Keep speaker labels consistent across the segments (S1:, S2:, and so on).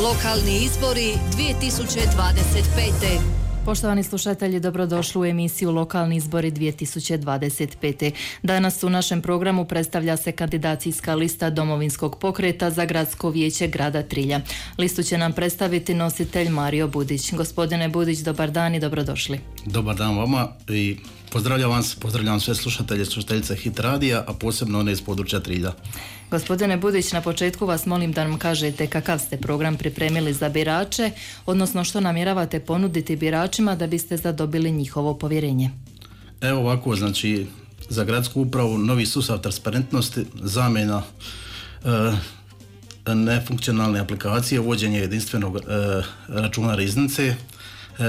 S1: Lokalni izbori 2025.
S2: Poštovani slušatelji, dobrodošli u emisiju Lokalni izbori 2025. Danas u našem programu predstavlja se kandidacijska lista Domovinskog pokreta za gradsko vijeće grada Trilja. Listu će nam predstaviti nositelj Mario Budić. Gospodine Budić, dobar dan i dobrodošli.
S3: Dobar dan vama i pozdravljam sve slušatelje, slušateljice Hit radija, a posebno one iz područja Trilja.
S2: Gospodine Budić, na početku vas molim da nam kažete kakav ste program pripremili za birače, odnosno što namjeravate ponuditi biračima da biste zadobili njihovo povjerenje.
S3: Evo ovako, znači za gradsku upravu novi sustav transparentnosti, zamjena nefunkcionalne aplikacije, uvođenje jedinstvenog računa riznice,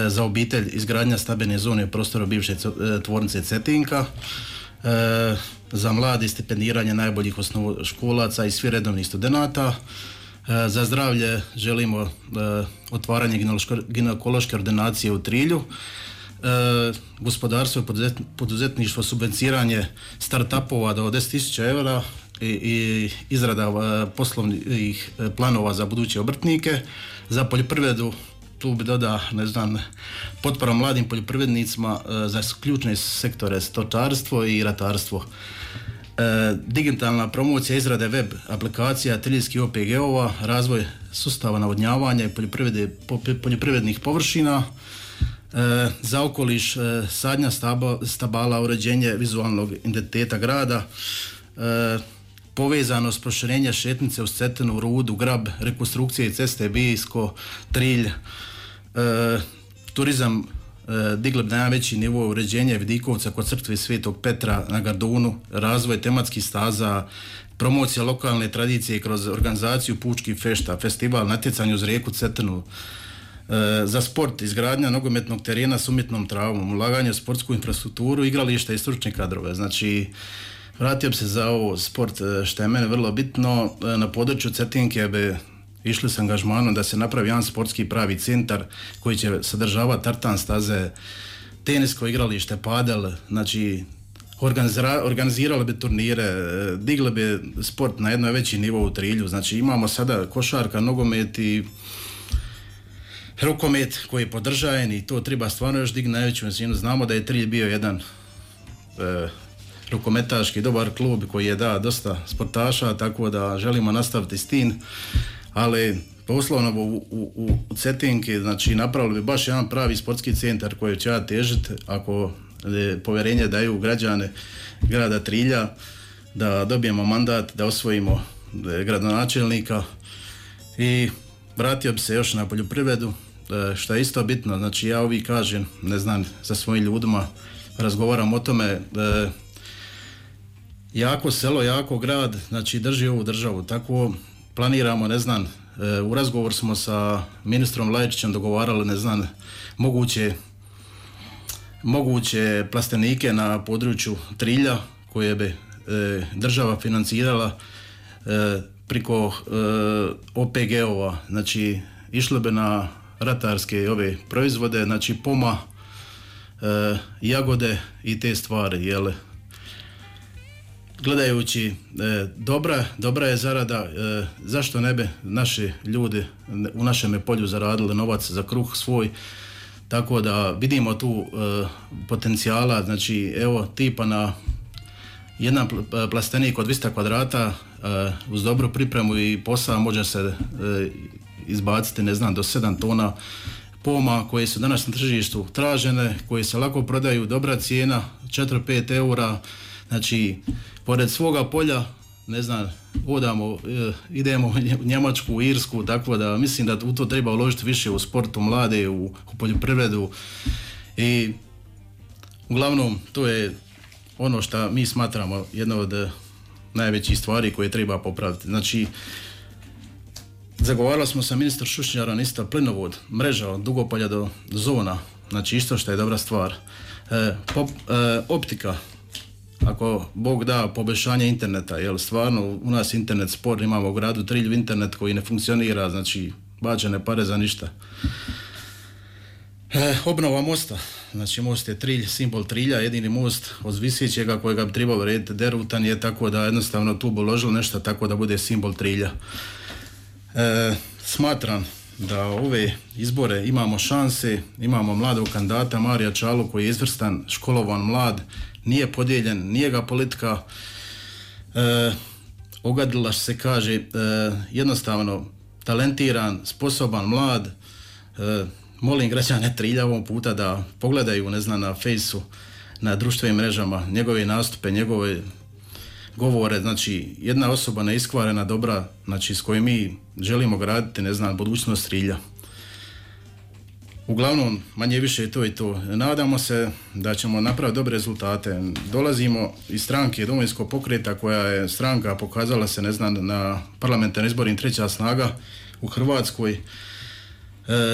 S3: za obitelj izgradnja stambene zone u prostoru bivše tvornice Cetinka, za mladi stipendiranje najboljih osnovnoškolaca i svi redovnih studenata, za zdravlje želimo otvaranje ginekološke ordinacije u Trilju, gospodarstvo i poduzetništvo, subvencioniranje start-upova do 10.000 eura i izrada poslovnih planova za buduće obrtnike, za poljoprivredu tu bi dodao, potpora mladim poljoprivrednicima za ključne sektore stočarstvo i ratarstvo. Digitalna promocija izrade web aplikacija triljskih OPG-ova, razvoj sustava navodnjavanja i poljoprivrednih površina, za okoliš sadnja stabala, uređenje vizualnog identiteta grada, povezanost proširenja šetnice uz Cetinu, Rudu, Grab, rekonstrukcije ceste Bijsko, Trilj, turizam digli na najveći nivo, uređenje Vidikovca kod crkve Svetog Petra na Gardunu, razvoj tematskih staza, promocija lokalne tradicije kroz organizaciju pučkih fešta, festival natjecanja uz rijeku Cetinu, za sport izgradnja nogometnog terena s umjetnom travom, ulaganje u sportsku infrastrukturu, igrališta i stručne kadrove. Znači, vratio bi se za ovo sport što je mene vrlo bitno. Na području Cetinke bi išli s angažmanom da se napravi jedan sportski pravi centar koji će sadržavati tartan staze, tenisko igralište, padel, znači organizirali bi turnire, digli bi sport na jedno veći nivo u Trilju. Znači imamo sada košarka, nogomet i rukomet koji je podržajen i to treba stvarno još digni na najveću razinu. Znamo da je Trilj bio jedan rukometaški dobar klub koji je dao dosta sportaša, tako da želimo nastaviti s tim, ali poslovno u Cetinki, znači napravili bi baš jedan pravi sportski centar koji će težiti ako povjerenje daju građane grada Trilja, da dobijemo mandat, da osvojimo gradonačelnika. I vratio bi se još na poljoprivredu, što je isto bitno. Znači ja uvijek kažem, sa svojim ljudima razgovaram o tome, jako selo, jako grad, znači drži ovu državu. Tako planiramo, u razgovor smo sa ministrom Lajčićem dogovarali, moguće plastenike na području Trilja koje bi država financirala preko OPG-ova. Znači išlo bi na ratarske ove proizvode, znači poma, jagode i te stvari, jel? Gledajući, dobra je zarada, zašto ne bi naši ljudi u našem polju zaradili novac za kruh svoj, tako da vidimo tu potencijala. Znači evo tipa na jedan plastenik od 200 kvadrata uz dobru pripremu i posao može se izbaciti do 7 tona poma koje su danas na tržištu tražene, koje se lako prodaju, dobra cijena, 4-5 eura. Znači, pored svoga polja, idemo u Njemačku, u Irsku, tako da mislim da u to treba uložiti više u sportu, mlade, u poljoprivredu. I uglavnom, to je ono što mi smatramo jedno od najvećih stvari koje treba popraviti. Znači, zagovarali smo sa ministrom Šušnjarom isto plinovod, mreža od Dugopolja do Zona, znači isto što je dobra stvar. Optika, ako Bog da, poboljšanje interneta, jer stvarno u nas internet spor, imamo u gradu Trilju internet koji ne funkcionira, znači bačene pare za ništa. Obnova mosta, znači most je Trilj, simbol Trilja, jedini most od Visićega kojega bi trebalo rediti, derutan je, tako da jednostavno tu bi uložili nešto tako da bude simbol Trilja. Smatram da ove izbore imamo šanse, imamo mladog kandidata Marija Čalu koji je izvrstan, školovan, mlad, nije podijeljen, nije ga politika ogadila, se kaže, jednostavno talentiran, sposoban, mlad. Molim građane Trilja ovog puta da pogledaju, ne znam, na Fejsu, na društvenim mrežama, njegove nastupe, njegove govore, znači jedna osoba neiskvarena, dobra, znači s kojom mi želimo graditi, ne znam, budućnost Trilja. Uglavnom, manje više to i to. Nadamo se da ćemo napraviti dobre rezultate. Dolazimo iz stranke Domovinskog pokreta, koja je stranka pokazala se, ne znam, na parlamentarnim izborima treća snaga u Hrvatskoj.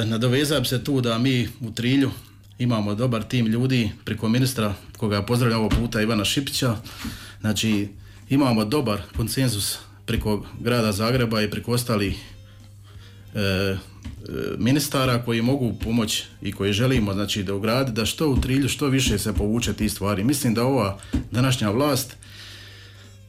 S3: Nadovezam se tu da mi u Trilju imamo dobar tim ljudi preko ministra, koga pozdravljam ovog puta, Ivana Šipića. Znači, imamo dobar konsenzus preko grada Zagreba i preko ostalih ministara koji mogu pomoći i koji želimo, znači, da ugraditi da što u Trilju što više se povuče tih stvari. Mislim da ova današnja vlast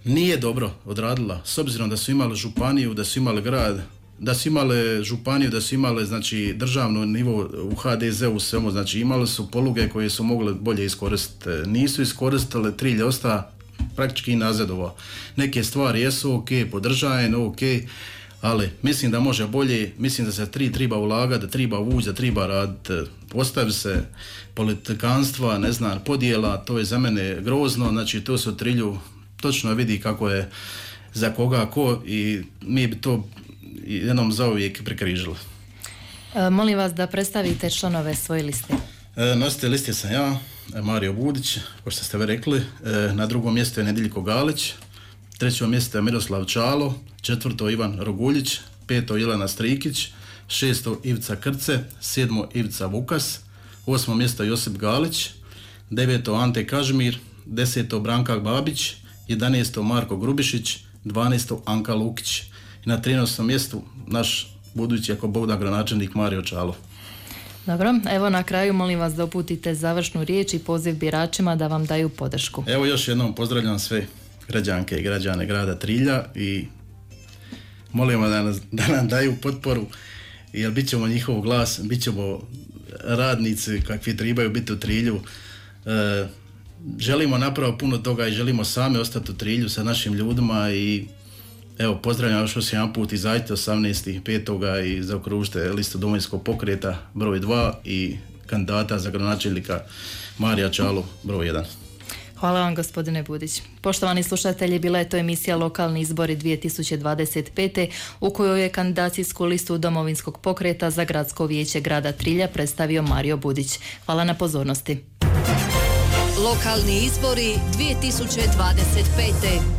S3: nije dobro odradila, s obzirom da su imali županiju, da su imali grad, da su imale županiju, da su imale, znači, državno nivo u HDZ-u svemu, znači imali su poluge koje su mogle bolje iskoristiti. Nisu iskoristile, Trilj osta praktički nazadovao. Neke stvari jesu ok, podržajem, ok, ali mislim da može bolje, mislim da se treba ulagati, da treba ući, da treba raditi. Ostavi se politikanstva, ne znam, podjela, to je za mene grozno, znači to se u Trilju točno vidi kako je za koga ko i mi bi to jednom zauvijek prekrižili.
S2: Molim vas da predstavite članove svoje liste.
S3: Nositelj liste sam ja, Mario Budić, kao što ste vi rekli. Na drugom mjestu je Nediljko Galić, trećo mjesto je Miroslav Čalo, četvrto Ivan Roguljić, peto Jelena Strikić, šesto Ivica Krce, sedmo Ivica Vukas, osmo mjesto Josip Galić, deveto Ante Kažmir, deseto Branka Babić, 11. Marko Grubišić, 12. Anka Lukić i na 13. mjestu naš budući, ako Bog da, gradonačelnik Mario Čalo.
S2: Dobro, evo na kraju molim vas da uputite završnu riječ i poziv biračima da vam daju podršku.
S3: Evo još jednom pozdravljam sve građanke i građane grada Trilja i molimo da nam daju potporu, jer bit ćemo njihov glas, bit ćemo radnici kakvi trebaju biti u Trilju. Želimo napraviti puno toga i želimo sami ostati u Trilju sa našim ljudima i evo, pozdravljam još jedan put, izađite 18.5. i zaokružite listu Domovinskog pokreta broj 2 i kandidata za gradonačelnika Marija Čalu broj 1.
S2: Hvala vam, gospodine Budić. Poštovani slušatelji, bila je to emisija Lokalni izbori 2025. u kojoj je kandidacijsku listu Domovinskog pokreta za gradsko vijeće grada Trilja predstavio Mario Budić. Hvala na pozornosti.
S1: Lokalni izbori 2025.